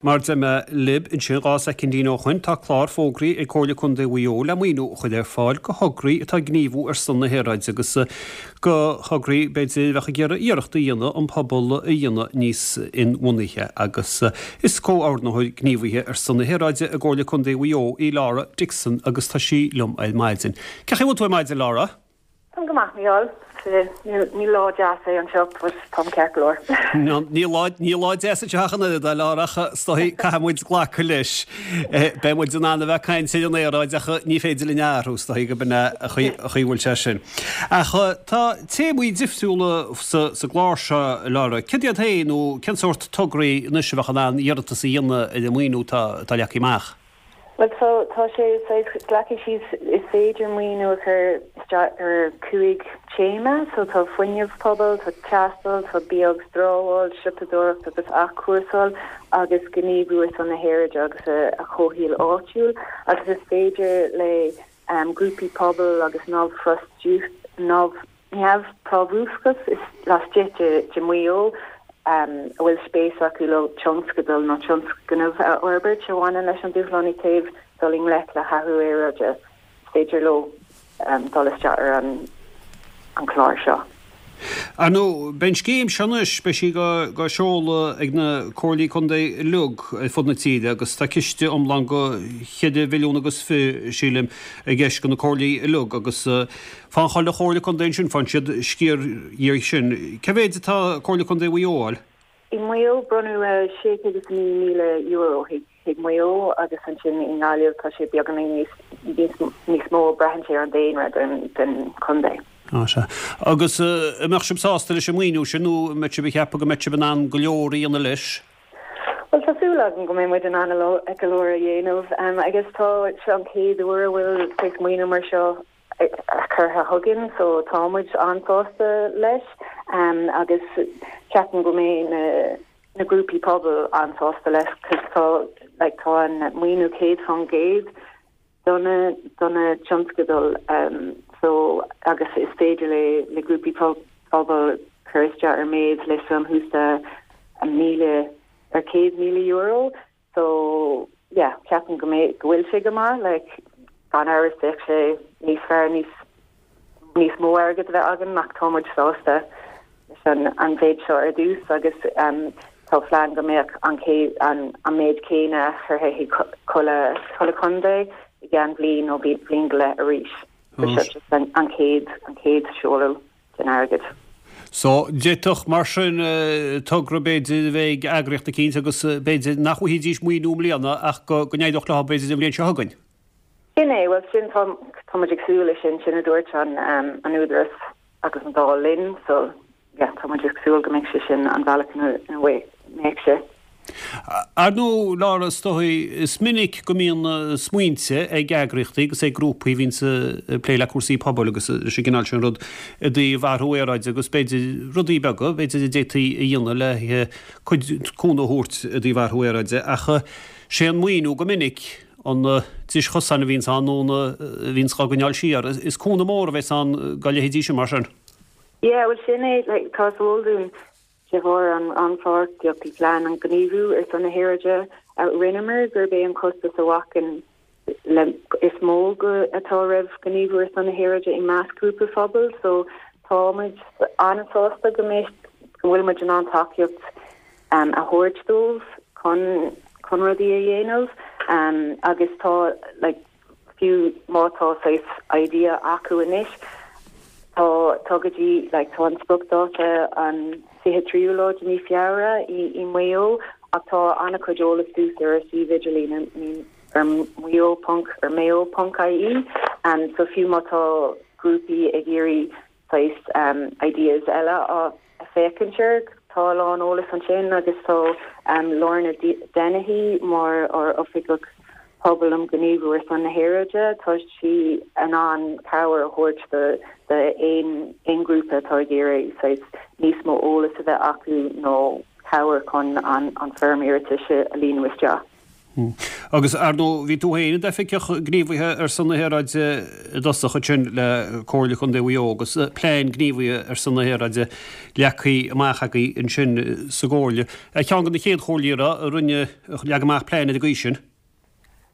Mar a deir mé libh ansin 2 soicindín ó shoin, tá clár fógraithe ag Comhairle Contae Mhaigh Eo le maoiniú a chur ar fáil go thograí atá ag gníomhú ar son na haeráide agus go thograí, b'fhéidir, a bheadh ag iarraidh iarracht a dhéanamh an pobal a dhéanamh níos inbhuanaithe. Agus is comhordaitheoir gníomhaithe ar son na haeráide i gComhairle Contae Mhaigh Eo í Laura Dixon agus tá sí liom ar maidin. Cén chaoi a bhfuil tú ar maidin, Laura? Táim go maith, Mícheál. Ní lá deas é anseo, but táim ceart go leor. Ní lá, ní lá deas anseo ach an oiread, a Laura, ach is dóigh caithfidh muid glacadh leis. Beidh muid in ann a bheith ag caint ar an aeráid ach ní féidir linn a athrú, is dóigh gurb in é an chaoi a bhfuil sé sin. Ach tá téamaí difriúla sa gclár seo, a Laura. Céard iad féin nó cén sórt tograí anois a bheadh in ann iarratas a dhéanamh ar an maoiniú atá leagtha amach? Bhuel, so, tá sé saghas leagtha síos, is féidir maoiniú a chur isteach ar 5 téama, so tá fuinneamh pobail, tá taisteal, tá bia agus dramháil, siopadóireacht agus athchúrsáil agus gníomhú ar son na haeráide agus a chomhshaoil áitiúil agus is féidir le grúpaí pobail agus neamhphrábhúsachas laistigh de Mhaigh Eo a bhfuil spéis acu leo tionscadal nó tionscnamh a fhorbairt a bhaineann leis an dúshlán i dtaobh dul i ngleic le hathrú aeráide, is féidir leo dul isteach ar an chlár seo. Ar ndóigh, beidh an scéim seo anois, beidh sí dhá seoladh ag na Comhairlí Contae uilig ar fud na tíre agus tá ciste iomlán go cheithre mhilliún agus fi, sílim, i gceist go na Comhairlí uilig agus Faigheann chuile Chomhairle Contae ansin, faigheann siad sciar dhe sin. Cé mhéid atá Comhairle Contae Mhaigh Eo a fháil? I Maigh Eo, bronnadh €609,000 chuig Maigh Eo agus ansin i nGaillimh tá sé beagáinín níos mó, braitheann sé ar an daonra den chontae. Á sea. Agus an mbeadh sibh sásta leis an maoiniú sin nó an mbeadh sibh ag ceapadh go mbeadh sibh in ann go leor a dhéanamh leis? Bhuel, tá súil agam go mbeidh muid in ann go leor a dhéanamh. I guess tá seo an chéad uair a bhfuil saghas maoiniú mar seo curtha chugainn so tá muid an-sásta leis agus ceapaim go mbeidh na na grúpaí pobail an-sásta leis cos tá like tá an maoiniú 100% do na do na tionscadail so agus is féidir le le grúpaí pobail cur isteach ar méid le suim shuas le ar €100,000 So, yeah, ceapaim go mbeidh, go bhfuil sé go maith, like, gan amhras bheadh sé níos fearr níos, níos mó airgead a bheith againn ach tá muid sásta leis an, an mhéid seo ar dtús agus um, tá plean go mbeadh an cé, an, an méid céanna curtha chuig chuile, chuile chontae i gceann bliain nó bliain go leith arís. So seo just an, an chéad, an chéad seoladh. den airgead. So, d'fhéadfadh, mar sin, togra b'fhéidir a bheith ag eagraíocht eicínt agus b'fhéidir nach bhfaighidís maoiniú i mbliana ach go n-éireodh leo b'fhéidir an bhliain seo chugainn. Sin é, bhuel sin, tá, tá muid ag súil leis sin, sin a dúirt an, an Údarás agus an Dáil linn, so yeah, tá muid ag súil go mbeidh sé sin an bhealach ina mbeidh sé. Ar ndóigh, Laura, is dóigh, is minic go mbíonn smaointe ag eagraíochtaí agus ag grúpaí a bhíonns ag plé le cúrsaí pobail agus leis an gcineál sin rud i dtaobh athrú aeráide agus b'fhéidir rudaí beaga, b'fhéidir a d'fhéadfaí a dhéanamh le cuid cúnamh a thabhairt i dtaobh athrú aeráide ach sé an maoiniú go minic an dris chosáin a bhíonns ann nó a bhíonns dhá gcoinneáil siar. Is cúnamh mór a bheas ann dá leithéidí sin mar sin. Yeah, bhuel sin é, like, tá is eol dúinn De bharr an rannpháirtíocht i bPlean um Ghníomhú ar son na hAeráide a rinneamar, gurb é an costas a bhacann le is mó go atá roimh ghníomhú ar son na haeráide i measc grúpaí phobail so tá muid an-sásta go mbeidh go bhfuil muid in ann tacaíocht a thabhairt dóibh chun chun rudaí a dhéanamh agus tá like fiú má tá saghas idea acu anois, tá, tá go dtí, like, tá an spriocdháta an 23ú lá de mí Feabhra i, i Maigh Eo ach tá an-chuid eolas suas ar a suíomh idirlín ar, ar maigh eo ponc, ar mayo ponc ie, so fiú má tá grúpaí ag iarraidh saghas ideas eile a féachaint air. Tá a lán eolas ansin agus tá Lorna Dennehy mar ár Oifigeach Pobail um Ghníomhú ar son na hAeráide, tá sí in ann cabhair a thabhairt do aon aon ghrúpa atá ag iarraidh saghas níos mó eolas a bheith acu nó cabhair chun an foirm iarratais a líonadh isteach. Agus, ar ndóigh, bhí tú féin i d'oifigeach gníomhaithe ar son na haeráide i dtosach ansin le Comhairle Contae Mhaigh Eo agus plean gníomhaithe ar son na haeráide leagtha amach agaibh ansin sa gComhairle. Ar cheann de na chéad chomhairlí a rinne, a leag amach plean ar an gcaoi sin?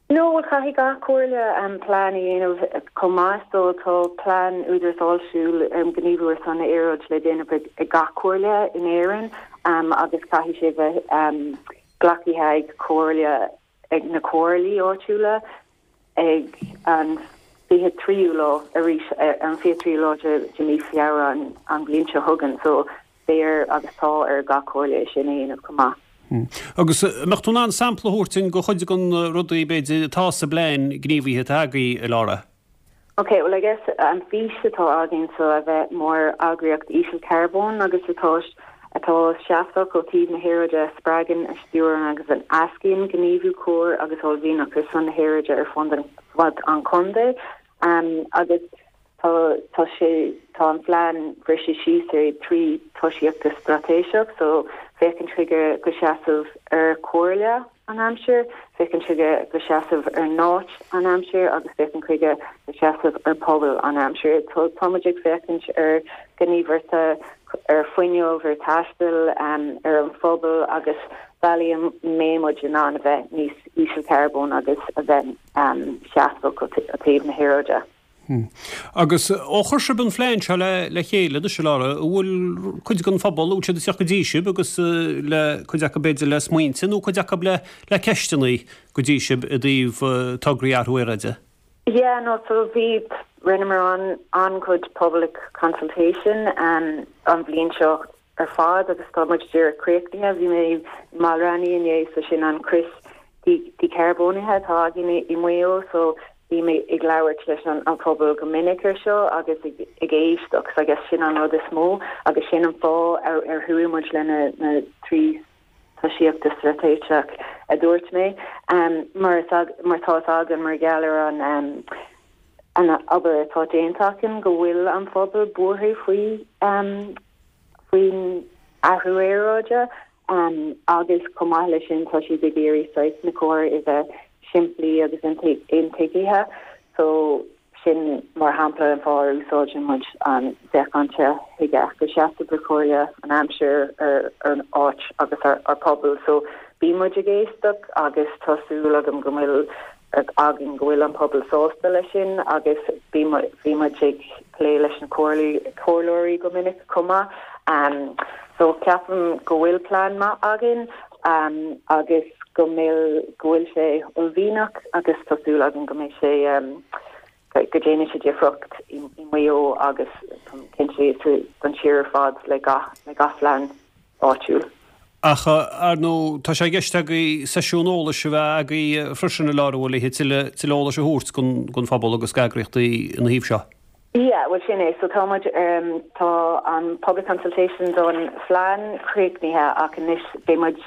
No, bhuel caithfidh gach comhairle plean a dhéanamh chomh maith so tá plean Údarás Áitiúil um Ghníomhú ar son na hAeráide le déanamh ag gach comhairle in Éirinn agus caithfidh sé bheith glactha ag comhairle ag na comhairlí áitiúla ag an 23ú lá arís ar an 23ú lá de mhí Feabhra an bhliain seo chugainn so beidh ar agus tá ar gach comhairle é sin a dhéanamh chomh maith. Agus an mbeadh tú in ann sampla a thabhairt dúinn de chuid de na rudaí, b'fhéidir, atá sa bplean gníomhaithe atá agaibh, a Laura? Ok, well I guess an fís atá againn so a bheith mar eagraíocht ísealcharbóin agus atá atá seasmhach ó thaobh na haeráide a spreagann, a stiúrann agus a éascaíonn gníomhú cóir agus uaillmhianach ar son na haeráide ar fud an fud an chontae agus Tá, tá sé, tá an phlean briste síos ar thrí tosaíochta straitéiseach, so féachaint chuige go seasamh ar comhairle an aimsir, féachaint chuige go seasamh ar n-áit an aimsir agus féachaint chuige go seasamh ar pobal an aimsir. Tá, tá muid ag féachaint ar ghníomhartha ar fuinneamh, ar taisteal, ar an phobal agus bealaí a mbeidh muid in ann a bheith níos ísealcharbóin agus a bheith seasmhach ó thaobh na haeráide. Agus ó chuir sibh an phlean seo le chéile anois, a Laura, an bhfuil cuid den phobal, an bhfuil siad ag teacht go dtí sibh agus le, cuid acu b'fhéidir le smaointe nó cuid acu le le ceisteanna go dtí sibh i dtaobh tograí athrú aeráide? Yeah, no, so bhí, rinneamar an, an-chuid public consultation an bhliain seo ar fad agus tá muid díreach críochnaithe. Bhí mé i mBaile Raithní inné so sin an crios dícharbónaithe atá againn i Maigh Eo so bím ag labhairt leis an phobal go minic ar seo agus ag éisteacht so I guess sin an rud is mó agus sin an fáth ar ar chuaigh muid le na na trí tosaíochta straitéiseach a dúirt mé mar mar tá fhios againn mar gheall ar an an obair atá déanta againn go bhfuil an phobal buartha faoi faoin athrú aeráide agus chomh maith leis sin tá siad ag iarraidh saghas na cóir a bheith simplí agus intuigthe so sin mar shampla an fáth ar úsáideann muid an féachaint chuige go seasamh ar chomhairle an aimsir ar an áit agus ar pobal so bíonn muid ag éisteacht agus tá súil agam go bhfuil againn go bhfuil an pobal sásta leis sin agus bhí muid ag plé leis na comhairleoirí go minic chomh maith. So ceapaim go bhfuil plean maith againn agus go mbeidh, go bhfuil sé uaillmhianach agus tá súil agam go mbeidh sé, go déanfaidh sé difríocht i Maigh Eo agus táim cinnte don tír ar fad le gach, le gach phlean áitiúil. Ach, ar ndóigh, tá sé i gceist agaibh seisiún eolais a bheith agaibh freisin, a Laura, an bhfuil, le tuilleadh eolais a thabhairt don phobal agus d'eagraíochtaí ina thaobh seo. Yeah, bhuel sin é. So tá muid, tá an public consultation don phlean críochnaithe ach anois beidh muid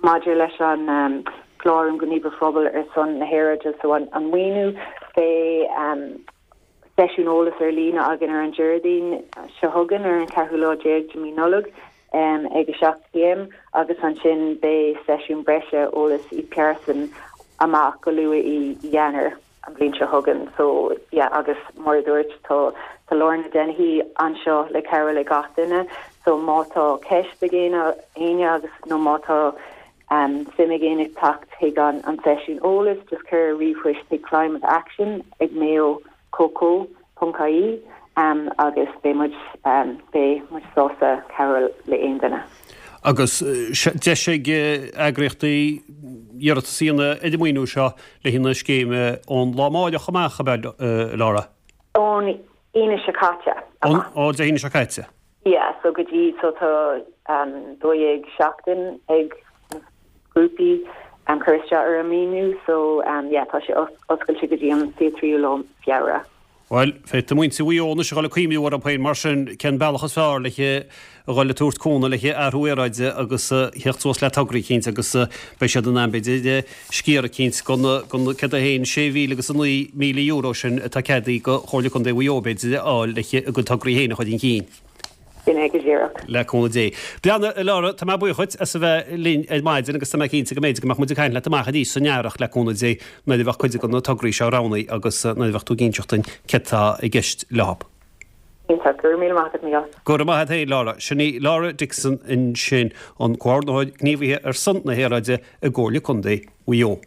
maidir leis an clár um Ghníomhú Phobail ar son na hAeráide, so an maoiniú, beidh seisiún eolais ar líne againn ar an Déardaoin seo chugainn ar an ceathrú lá déag de mí Nollag ag 7 pm agus ansin beidh seisiún breise eolais i pearsan amach go luath i Eanáir an bhliain seo chugainn. So yeah agus mar a dúirt tá tá Lorna Dennehy anseo le cabhrú le gach duine so má tá ceist ag éinne agus nó má tá suim ag éinne teacht chuig an an seisiún eolais just cuir ríomhphoist chuig climate action ag mayo co ponc ie agus beidh muid beidh muid sásta cabhrú le aon duine. Agus deis ag eagraíochtaí iarratas a dhéanamh ar an maoiniú seo le haghaidh na scéime ón lá amáireach amach, ab ea, Laura? Ón Aoine seo caite amach. Ó Dé hAoine seo caite. Yeah, so go dtí, so tá 12 seachtain ag na grúpaí cur isteach ar an maoiniú, so yeah, tá sé oscailte go dtí an 23ú lá Feabhra. Bhuel, féadfaidh muintir Mhaigh Eo anois a dhul ag cuimhniú orthu féin mar sin cén bealach is fearr le a dhul ag tabhairt cúnamh le athrú aeráide agus theacht suas le tograí eicínt agus beidh siad in ann b'fhéidir sciar eicínt den céard é féin, 6,000 agus €9,000 sin atá ceadaithe do Chomhairle Contae Mhaigh Eo b'fhéidir a fháil le a gcuid tograí féin a chur chun cinn. Sin é go díreach. Le cúnamh Dé. Breathnaigh, a Laura, tá mé buíoch dhuit as a bheith linn ar maidin agus tá mé cinnte go mb'fhéidir go mbeadh muid ag caint leat amach arís san earrach le cúnamh Dé nuair a bheadh cuid de na tograí seo roghnaithe agus nuair a bheadh tú ag inseacht duinn céard tá i gceist leo. Iontach. Go raibh míle maith agat, Mícheál. Go raibh maith agat féin, Laura. Sin í Laura Dixon ansin, an Comhordaitheoir Gníomhaithe ar son na hAeráide i gComhairle Contae Mhaigh Eo.